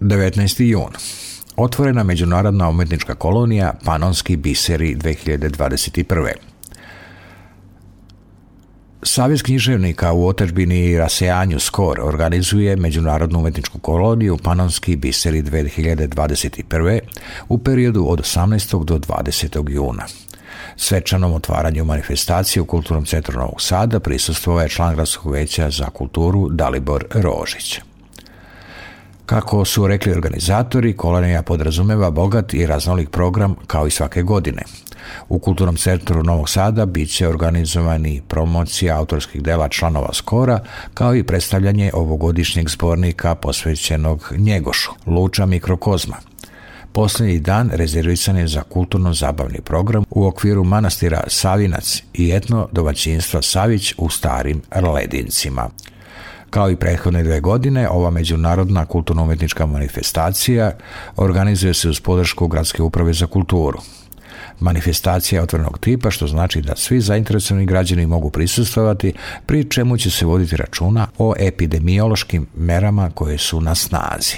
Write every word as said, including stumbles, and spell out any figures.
devetnaesti jun. Otvorena međunarodna umjetnička kolonija Panonski biseri dve hiljade dvadeset prve. Savez književnika u otadžbini i rasejanju Skor organizuje međunarodnu umjetničku koloniju Panonski biseri dve hiljade dvadeset prve. u periodu od osamnaestog do dvadesetog juna. Svečanom otvaranju manifestacije u Kulturnom centru Novog Sada prisustvovao je član Gradskog veća za kulturu Dalibor Rožić. Kako su rekli organizatori, kolonija podrazumeva bogat i raznolik program kao i svake godine. U Kulturnom centru Novog Sada bit će organizovani promocija autorskih dela članova Skora, kao i predstavljanje ovogodišnjeg zbornika posvećenog Njegošu, Luča mikrokozma. Posljednji dan rezervisan je za kulturno-zabavni program u okviru manastira Savinac i etno domaćinstva Savić u Starim Ledincima. Kao i prethodne dve godine, ova međunarodna kulturno-umjetnička manifestacija organizuje se uz podršku Gradske uprave za kulturu. Manifestacija je otvorenog tipa, što znači da svi zainteresovani građani mogu prisustvovati, pri čemu će se voditi računa o epidemiološkim merama koje su na snazi.